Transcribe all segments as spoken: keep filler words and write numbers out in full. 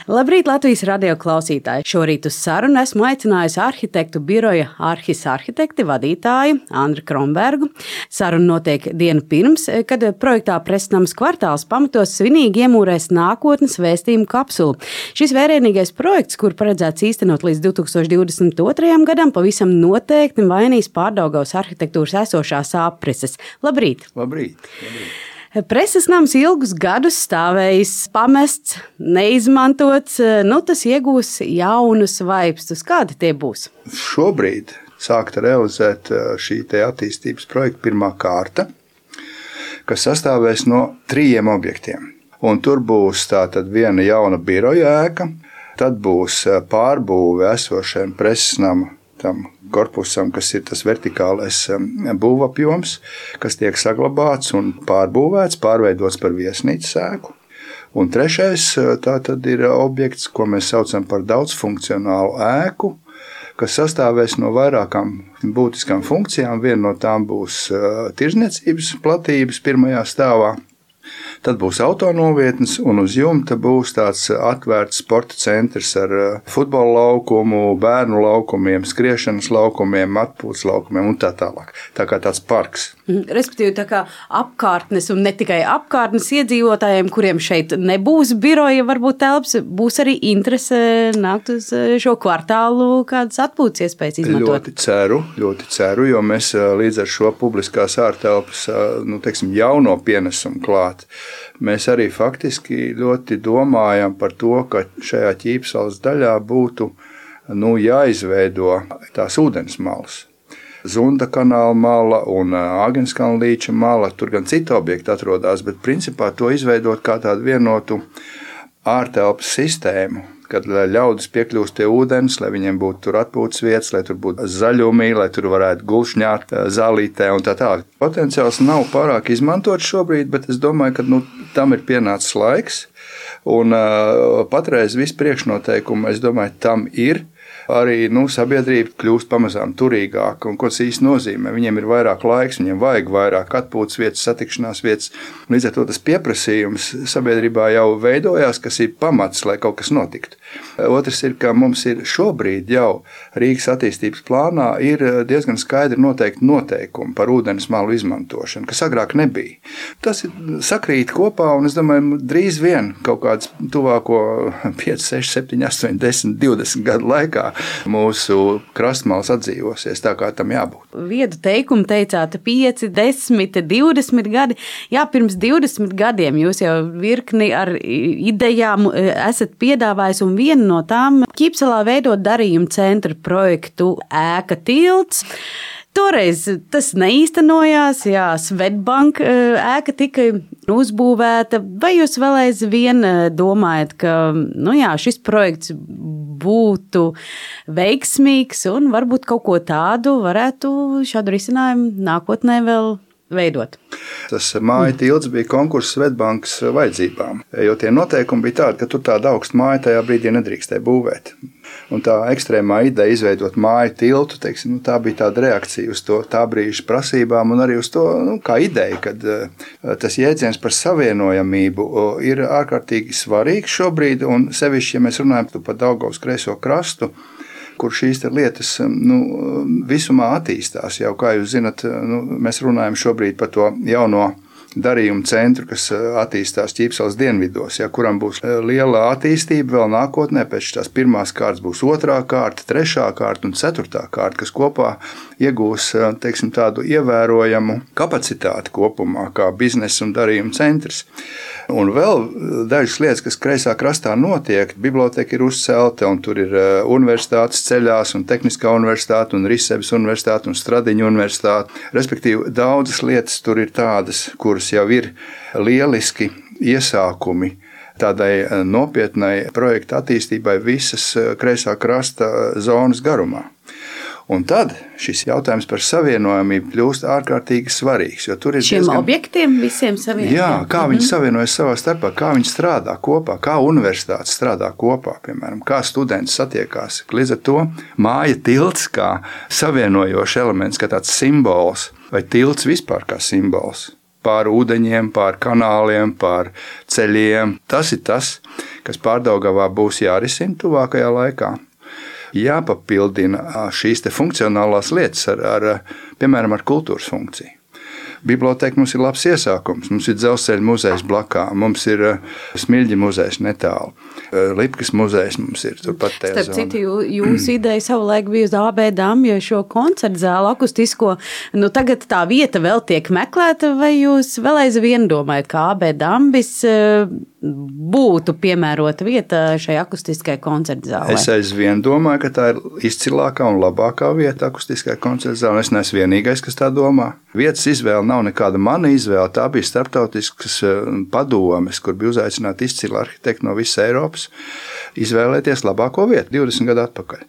Labrīt, Latvijas radio klausītāji! Šorīt uz sarunu esmu aicinājusi arhitektu biroja Arhis arhitekti vadītāju Andri Krombergu. Saruna notiek dienu pirms, kad projektā Presnams kvartāls pamatos svinīgi iemūrēs nākotnes vēstījumu kapsulu. Šis vērienīgais projekts, kur paredzēts īstenot līdz divi tūkstoši divdesmit otrajam gadam, pavisam noteikti mainīs Pārdaugavas arhitektūras esošās aprises. Labrīt! Labrīt! Labrīt. Preses nams ilgus gadus stāvējis pamests, neizmantots, nu tas iegūs jaunus vaipstus. Kādi tie būs? Šobrīd sākta realizēt šī te attīstības projekta pirmā kārta, kas sastāvēs no trījiem objektiem. Un tur būs tātad viena jauna biroja ēka, tad būs pārbūve esošajam preses nama tam korpusam, kas ir tas vertikālais būvapjoms, kas tiek saglabāts un pārbūvēts, pārveidots par viesnīcas ēku. Un trešais tā tad ir objekts, ko mēs saucam par daudzfunkcionālu ēku, kas sastāvēs no vairākām būtiskām funkcijām. Viena no tām būs tirdzniecības platības pirmajā stāvā. Tad būs autonovietnes, un uz jumta būs tāds atvērts sporta centrs ar futbola laukumu, bērnu laukumiem, skriešanas laukumiem, atpūtas laukumiem un tā tālāk. Tā kā tāds parks. Respektīvi, tā kā apkārtnes un ne tikai apkārtnes iedzīvotājiem, kuriem šeit nebūs biroja, varbūt telps, būs arī interese nākt uz šo kvartālu kādas atpūtas iespējas izmantot. Ļoti ceru, ļoti ceru, jo mēs līdz ar šo publiskās ārtelpas, nu, teiksim, jauno pienesumu klāt. Mēs arī faktiski ļoti domājam par to, ka šajā Ķīpsalas daļā būtu nu, jāizveido tās ūdens malas. Zunda kanāla mala un Āgenskalna līča mala, tur gan citi objekti atrodas, bet principā to izveidot kā tādu vienotu ārtelpas sistēmu, kad ļaudis piekļūst pie ūdens, lai viņiem būtu tur atpūtas vietas, lai tur būtu zaļumi, lai tur varētu gulšņāt zālītē un tā tālāk. Potenciāls nav pārāk izmantots šobrīd, bet es domāju, ka nu, tam ir pienācis laiks. Un uh, patreiz visi priekšnoteikumi, es domāju, tam ir. Arī nu, sabiedrība kļūst pamazām turīgāka. Un, ko tas īsti nozīmē? Viņiem ir vairāk laiks, viņiem vajag vairāk atpūtas vietas, satikšanās vietas. Līdz ar to tas pieprasījums sabiedrībā jau veidojās, kas ir pamats, lai kaut kas notiktu. Otrs ir, ka mums ir šobrīd jau Rīgas attīstības plānā ir diezgan skaidri noteikti noteikumi par ūdens malu izmantošanu, kas agrāk nebija. Tas ir sakrīt kopā, un es domāju, drīz vien kaut kāds tuvāko pieci, seši, septiņi, astoņi, desmit, divdesmit gadu laikā mūsu krastmals atdzīvosies tā, kā tam jābūt. Viedu teikumu teicāt pieci, desmit, divdesmit gadi. Jā, pirms divdesmit gadiem jūs jau virkni ar idejām esat piedāvājis, un viena no tām Ķīpsalā veidot darījumu centra projektu ēka tilts. Toreiz tas neīstenojās, jā, Svetbank ēka tika uzbūvēta. Vai jūs vēl aizvien domājat, ka nu jā, šis projekts būtu veiksmīgs un varbūt kaut ko tādu varētu šādu risinājumu nākotnē vēl veidot? Tas māja tilts bija konkurss Svetbankas vajadzībām, jo tie noteikumi bija tādi, ka tur tāda augsta māja tajā brīdī nedrīkstēja būvēt. Un tā ekstrēmā ideja izveidot māju tiltu, teiksim, nu, tā bija tāda reakcija uz to tā brīža prasībām un arī uz to nu, kā ideja, kad tas jēdziens par savienojamību ir ārkārtīgi svarīgs šobrīd, un sevišķi, ja mēs runājam par Daugavas kreiso krastu, kur šīs lietas nu, visumā attīstās. Jau, kā jūs zinat, nu, mēs runājam šobrīd par to jauno darījumu centru, kas attīstās Ķīpsalas dienvidos, ja, kuram būs liela attīstība vēl nākotnē. Pēc tās pirmās kārtas būs otrā kārta, trešā kārta un ceturtā kārta, kas kopā iegūs teiksim, tādu ievērojamu kapacitāti kopumā, kā biznesa un darījumu centrs. Un vēl dažas lietas, kas kreisā krastā notiek. Biblioteka ir uzcelta, un tur ir universitātes ceļās, un Tehniskā universitāte, un Risebes universitāte, un Stradiņa universitāte. Respektīvi, daudzas lietas tur ir tādas, kuras jau ir lieliski iesākumi tādai nopietnai projekta attīstībai visas kreisā krasta zonas garumā. Un tad šis jautājums par savienojamību kļūst ārkārtīgi svarīgs. Jo tur ir šiem diezgan... objektiem visiem savienojamiem. Jā, kā viņi mm-hmm. savienojas savā starpā, kā viņi strādā kopā, kā universitātes strādā kopā, piemēram, kā studenti satiekās. Līdz ar to māja tilts kā savienojošs elements, kā tāds simbols, vai tilts vispār kā simbols. Pār ūdeņiem, pār kanāliem, pār ceļiem. Tas ir tas, kas Pārdaugavā būs jārisina tuvākajā laikā. Jāpapildina šīs te funkcionālās lietas ar, ar, piemēram, ar kultūras funkciju. Biblioteka mums ir labs iesākums. Mums ir Dzelzceļa muzejs blakā, mums ir Smiļģa muzejs netālu, Lipkas muzejs mums ir turpat tajā zonā. Starp citu, jū, jūsu ideja savulaik bija uz A B Dambja šo koncertu zāli akustisko. Nu, tagad tā vieta vēl tiek meklēta, vai jūs vēl aizvien domājat, ka A B Dambis būtu piemērota vieta šai akustiskai koncertu zālē? Es aizvien domāju, ka tā ir izcilākā un labākā vieta akustiskai koncertu zālē. Es neesmu vienīgais, kas tā domā. Vietas izvēle nav nekāda mana izvēle. Tā bija starptautiskas padomes, kur bija uzaicināti izcili arhitekti no visas Eiropas, izvēlēties labāko vietu divdesmit gadu atpakaļ.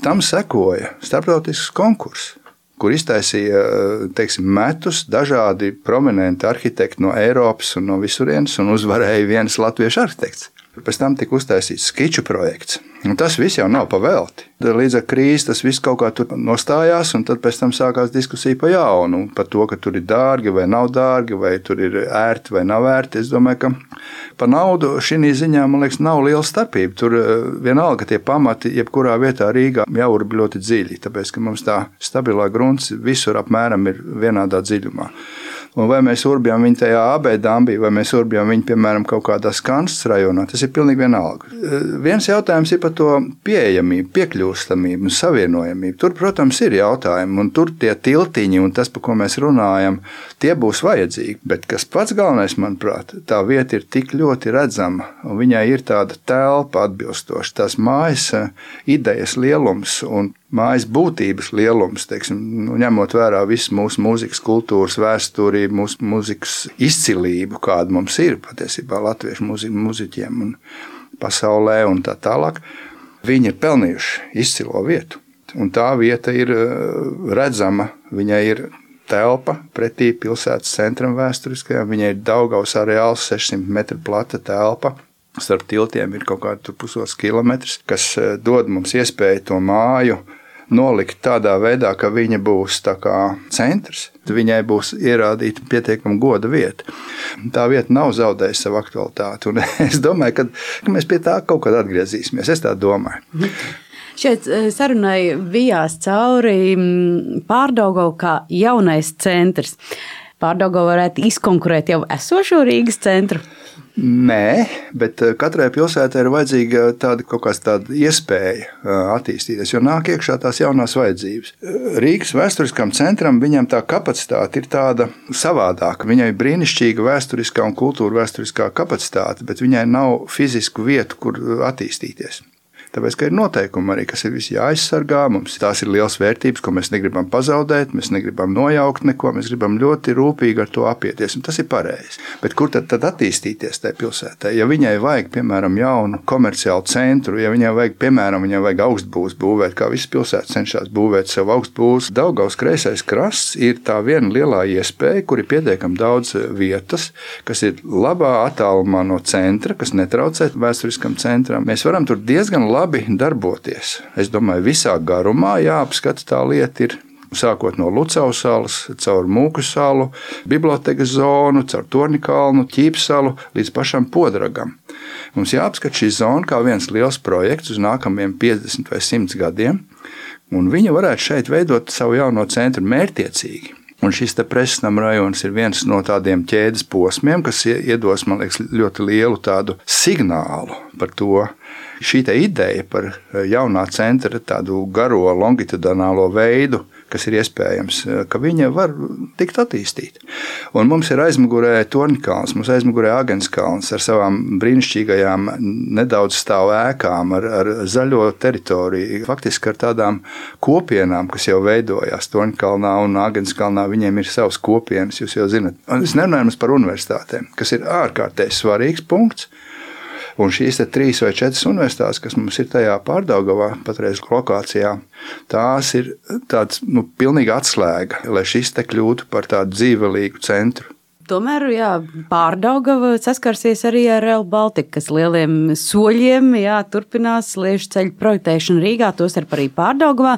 Tam sekoja starptautisks konkurss, kur iztaisīja, teiksim, metus dažādi prominenti arhitekti no Eiropas un no visurienes, un uzvarēja viens latviešu arhitekts. Pēc tam tika uztaisīts skiču projekts. Un tas viss jau nav pavelti. Līdz ar krīzi tas viss kaut kā tur nostājās, un tad pēc tam sākās diskusija pa jaunu par to, ka tur ir dārgi vai nav dārgi, vai tur ir ērti vai nav ērti. Es domāju, ka par naudu šī ziņā, man liekas, nav liela starpība. Tur vienalga tie pamati, jebkurā vietā Rīgā jau ir ļoti dziļi, tāpēc, ka mums tā stabilā grunts visur apmēram ir vienādā dziļumā. Un vai mēs urbjam viņu tajā A B Dambī, vai mēs urbjam viņu, piemēram, kaut kādā Skansas rajonā, tas ir pilnīgi vienalga. Viens jautājums ir par to pieejamību, piekļūstamību un savienojamību. Tur, protams, ir jautājumi, un tur tie tiltiņi un tas, par ko mēs runājam, tie būs vajadzīgi. Bet kas pats galvenais, manuprāt, tā vieta ir tik ļoti redzama, un viņai ir tāda telpa atbilstoša, tās mājas idejas lielums un mājas būtības lielums, teiksim, nu, ņemot vērā visu mūsu mūzikas kultūras vēsturi, mūsu mūzikas izcilību, kāda mums ir patiesībā latviešu muzi- muziķiem un pasaulē un tā tālāk, viņi ir pelnījuši izcilo vietu. Un tā vieta ir redzama, viņai ir telpa pretī pilsētas centram vēsturiskajam, viņai ir Daugavas areāls, sešsimt metru plata telpa. Starp tiltiem ir kaut kādi pusotrs kilometrs, kas dod mums iespēju to māju nolikt tādā veidā, ka viņa būs tā kā centrs. Viņai būs ierādīta pietiekama goda vieta. Tā vieta nav zaudējusi savu aktualitāti. Un es domāju, ka, ka mēs pie tā kaut kad atgriezīsimies. Es tā domāju. Šeit sarunai vijās cauri Pārdaugavu kā jaunais centrs. Pārdaugava varētu izkonkurēt jau esošo Rīgas centru? Nē, bet katrai pilsētai ir vajadzīga tāda kaut kāda tāda iespēja attīstīties, jo nāk iekšā tās jaunās vajadzības. Rīgas vēsturiskam centram viņam tā kapacitāte ir tāda savādāka. Viņai ir brīnišķīga vēsturiskā un kultūra vēsturiskā kapacitāte, bet viņai nav fizisku vietu, kur attīstīties. Tāpēc, ka ir noteikumi arī, kas ir visi jāaizsargā, mums tās ir liels vērtības, ko mēs negribam pazaudēt, mēs negribam nojaukt neko, mēs gribam ļoti rūpīgi ar to apieties, un tas ir pareizi. Bet kur tad, tad attīstīties tajā pilsētā? Ja viņai vajag, piemēram, jaunu komerciālu centru, ja viņai vajag, piemēram, viņai vajag augstbūvs būvēt, kā visas pilsētas cenšas būvēt savu augstbūvs, Daugavas kreisais krasts ir tā viena lielā iespēja, kur ir pietiekami daudz vietas, kas ir labā attālumā no centra, kas netraucē vēsturiskam centram. Mēs varam tur diezgan labi labi darboties. Es domāju, visā garumā jāapskata tā lieta ir sākot no Lucavas salas, caur Mūku salu, bibliotekas zonu, caur Torņkalnu, Ķīpsalu līdz pašam Podragam. Mums jāapskata šī zona kā viens liels projekts uz nākamajiem piecdesmit vai simt gadiem, un viņa varētu šeit veidot savu jauno centru mērķtiecīgi. Un šis te Presnam rajons ir viens no tādiem ķēdes posmiem, kas iedos, man liekas, ļoti lielu tādu signālu par to. Šī te ideja par jaunā centra tādu garo longitudinālo veidu, kas ir iespējams, ka viņa var tikt attīstīta. Un mums ir aizmugurē Torņkalns, mums aizmugurē Agenskalns ar savām brīnišķīgajām nedaudz stāv ēkām, ar, ar zaļo teritoriju, faktiski ar tādām kopienām, kas jau veidojās Torņkalnā un Agenskalnā, viņiem ir savas kopienas, jūs jau zinat. Un es nerunāju par universitātēm, kas ir ārkārtēji svarīgs punkts. Un šīs te trīs vai četras universitātes, kas mums ir tajā Pārdaugavā, patreiz lokācijā, tās ir tāds, nu, pilnīgi atslēga, lai šis te kļūtu par tādu dzīvelīgu centru. Tomēr, jā, Pārdaugava saskarsies arī ar Rail Baltica, kas lieliem soļiem, jā, turpinās liežu ceļu projektēšanu Rīgā, tostarp arī Pārdaugavā.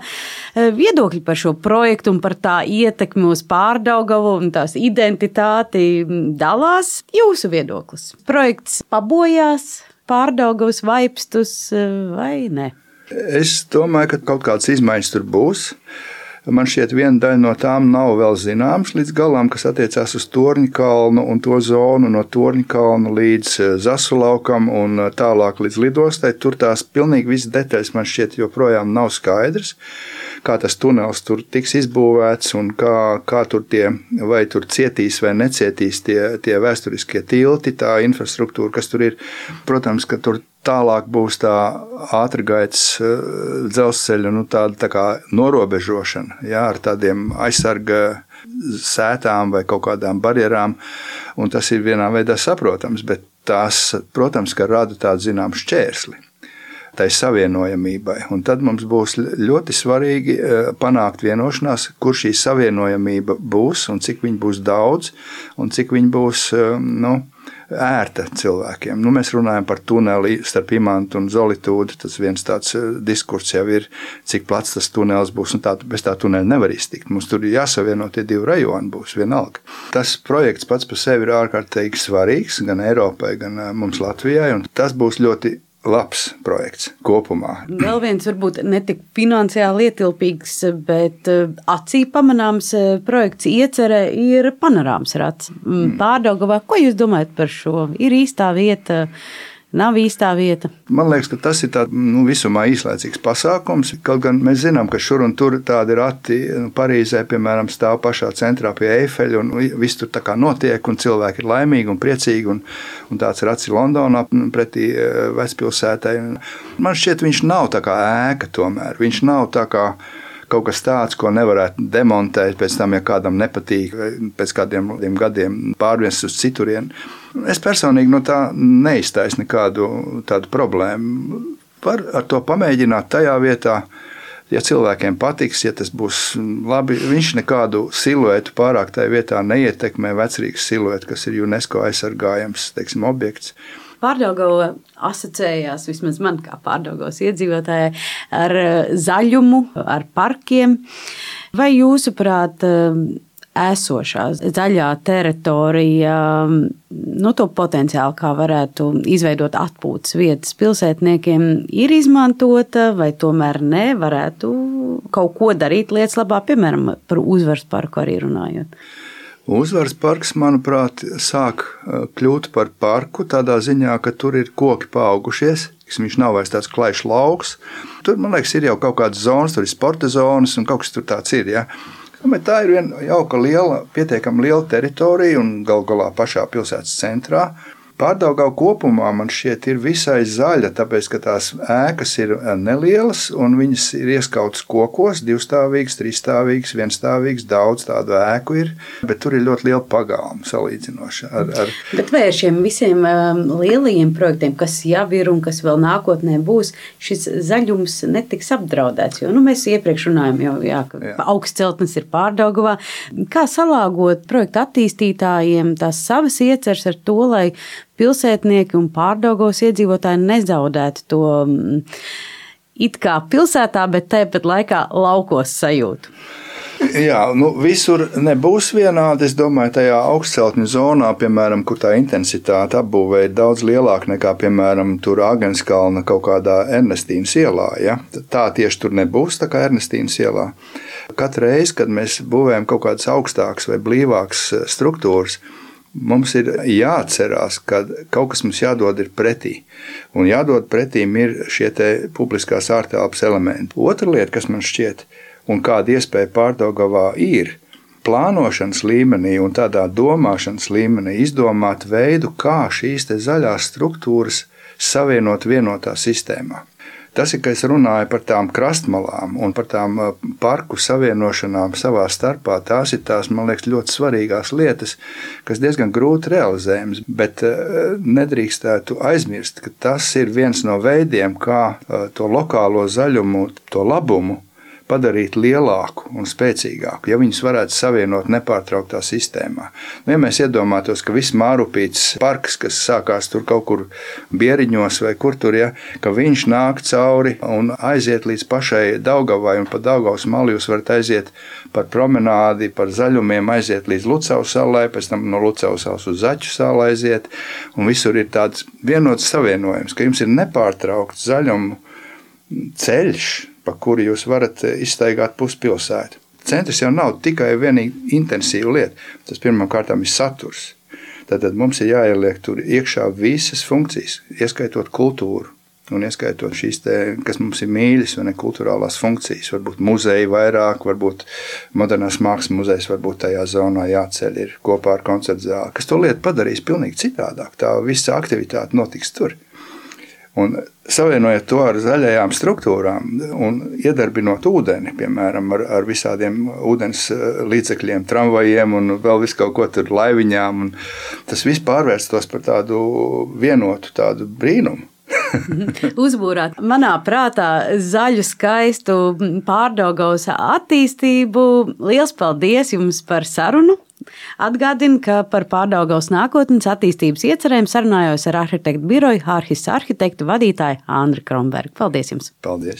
Viedokļi par šo projektu un par tā ietekmi uz Pārdaugavu un tās identitāti dalās. Jūsu viedoklis. Projekts pabojās, Pārdaugavas vaipstus vai ne? Es domāju, ka kaut kādas izmaiņas tur būs. Man šķiet, viena daļa no tām nav vēl zināmas līdz galam, kas attiecās uz Torņkalnu un to zonu no Torņkalna līdz Zasulaukam un tālāk līdz lidostai. Tur tās pilnīgi visas detaļas man šķiet joprojām nav skaidrs, kā tas tunels tur tiks izbūvēts un kā, kā tur tie, vai tur cietīs vai necietīs tie, tie vēsturiskie tilti, tā infrastruktūra, kas tur ir. Protams, ka tur tālāk būs tā ātrgaitas dzelzceļa nu, tāda tā kā norobežošana, jā, ar tādiem aizsarga sētām vai kaut kādām barjerām, un tas ir vienā veidā saprotams, bet tās, protams, ka rada tādu zinām šķērsli tai savienojamībai. Un tad mums būs ļoti svarīgi panākt vienošanās, kur šī savienojamība būs un cik viņa būs daudz un cik viņa būs, nu, ērta cilvēkiem. Nu, mēs runājam par tuneli starp Imantu un Zolitūdu. Tas viens tāds diskurss jau ir, cik plats tas tunelis būs. Un tā, bez tā tuneli nevar iztikt. Mums tur ir jāsavieno tie divi rajoni, būs vienalga. Tas projekts pats par sevi ir ārkārtīgi svarīgs gan Eiropai, gan mums Latvijai. Un tas būs ļoti labs projekts kopumā. Vēl viens varbūt ne tik finansiāli ietilpīgs, bet acī pamanāms projekts iecerē ir panorāmas rats. Pārdaugavā, ko jūs domājat par šo? Ir īstā vieta? Nav īstā vieta. Man liekas, ka tas ir tāds nu, visumā īslaicīgs pasākums. Kaut gan mēs zinām, ka šur un tur tādi rati nu, Parīzē, piemēram, stāv pašā centrā pie Eifeļa un viss tur tā kā notiek un cilvēki ir laimīgi un priecīgi un, un tāds rats ir Londonā pretī vecpilsētai. Man šķiet, viņš nav tā kā ēka tomēr. Viņš nav tā kā kaut kas tāds, ko nevarētu demontēt pēc tam, ja kādam nepatīk, vai pēc kādiem gadiem pārvest uz citurienu. Es personīgi no tā neiztaisu nekādu tādu problēmu. Var ar to pamēģināt tajā vietā, ja cilvēkiem patiks, ja tas būs labi. Viņš nekādu siluetu pārāk tajā vietā neietekmē, vecrīgas siluetu, kas ir UNESCO aizsargājams, teiksim, objekts. Pārdaugava asociējās, vismaz man kā Pārdaugavas iedzīvotājai, ar zaļumu, ar parkiem. Vai jūsuprāt, esošā zaļā teritorija, nu, to potenciāli, kā varētu izveidot atpūtas vietas pilsētniekiem, ir izmantota, vai tomēr ne, varētu kaut ko darīt lietas labā, piemēram, par Uzvaras parku arī runājot? Uzvaras parks, manuprāt, sāk kļūt par parku tādā ziņā, ka tur ir koki paaugušies. Viņš nav vairs tāds klajšs lauks. Tur, man liekas, ir jau kaut kādas zonas, tur ir sporta zonas un kaut kas tur tāds ir. Ja? Bet tā ir viena jauka liela, pietiekami liela teritorija un gal galā pašā pilsētas centrā. Pārdaugava kopumā man šķiet ir visai zaļa, tāpēc, ka tās ēkas ir nelielas un viņas ir ieskautas kokos, divstāvīgas, trīsstāvīgas, vienstāvīgas, daudz tādu ēku ir, bet tur ir ļoti liela pagalma salīdzinoši. Ar, ar... Bet vai ar šiem visiem um, lielajiem projektiem, kas jau ir un kas vēl nākotnē būs, šis zaļums netiks apdraudēts? Jo nu, mēs iepriekš runājam, jau, jā, ka jā. Augstceltnes ir Pārdaugavā. Kā salāgot projektu attīstītājiem tās savas ieceres ar to, lai pilsētnieki un Pārdaugavas iedzīvotāji nezaudētu to it kā pilsētā, bet tāpat laikā laukos sajūtu? Jā, nu visur nebūs vienādi. Es domāju, tajā augstceltņu zonā, piemēram, kur tā intensitāte apbūvē ir daudz lielāka nekā, piemēram, tur Agenskalna kaut kādā Ernestīnas ielā. Ja? Tā tieši tur nebūs, tā kā Ernestīnas ielā. Katru reizi, kad mēs būvējam kaut kādas augstākas vai blīvākas struktūras, mums ir jāatcerās, ka kaut kas mums jādod ir pretī. Un jādod pretīm ir šie te publiskās ārtelpas elementi. Otra lieta, kas man šķiet, un kāda iespēja Pārdaugavā ir, plānošanas līmenī un tādā domāšanas līmenī izdomāt veidu, kā šīs te zaļās struktūras savienot vienotā sistēmā. Tas ir, ka es runāju par tām krastmalām un par tām parku savienošanām savā starpā. Tās ir tās, man liekas, ļoti svarīgās lietas, kas diezgan grūti realizējams, bet nedrīkstētu aizmirst, ka tas ir viens no veidiem, kā to lokālo zaļumu, to labumu padarīt lielāku un spēcīgāku, ja viņus varētu savienot nepārtrauktā sistēmā. Nu, ja mēs iedomātos, ka viss Mārupītes parks, kas sākās tur kaut kur Bieriņos vai kur tur, ja, ka viņš nāk cauri un aiziet līdz pašai Daugavai, un pa Daugavas malu jūs varat aiziet par promenādi, par zaļumiem, aiziet līdz Lucavas salai, pēc tam no Lucavas salas uz Zaķu salu aiziet, un visur ir tāds vienots savienojums, ka jums ir nepārtraukts zaļumu ceļš, pa kuru jūs varat izstaigāt puspilsētu. Centrs jau nav tikai vienīgi intensīva lieta, tas pirmām kārtām ir saturs. Tātad mums ir jāieliek tur iekšā visas funkcijas, ieskaitot kultūru un ieskaitot šīs, te, kas mums ir mīļas, vai ne, kulturālās funkcijas. Varbūt muzeji vairāk, varbūt modernās mākslas muzejs, varbūt tajā zonā jāceļ ir kopā ar koncertu zāli, kas to lietu padarīs pilnīgi citādāk. Tā visa aktivitāte notiks tur. Un savienojot to ar zaļajām struktūrām un iedarbinot ūdeni, piemēram, ar, ar visādiem ūdens līdzekļiem, tramvajiem un vēl visu kaut ko tur laiviņām, un tas viss pārvērstos par tādu vienotu tādu brīnumu. Uzbūrāt manā prātā zaļu, skaistu Pārdaugavas attīstību. Liels paldies jums par sarunu! Atgādinu, ka par Pārdaugavas nākotnes attīstības iecerēm sarunājos ar arhitektu biroju Ārhis arhitektu vadītāju Andri Krombergu. Paldies jums! Paldies!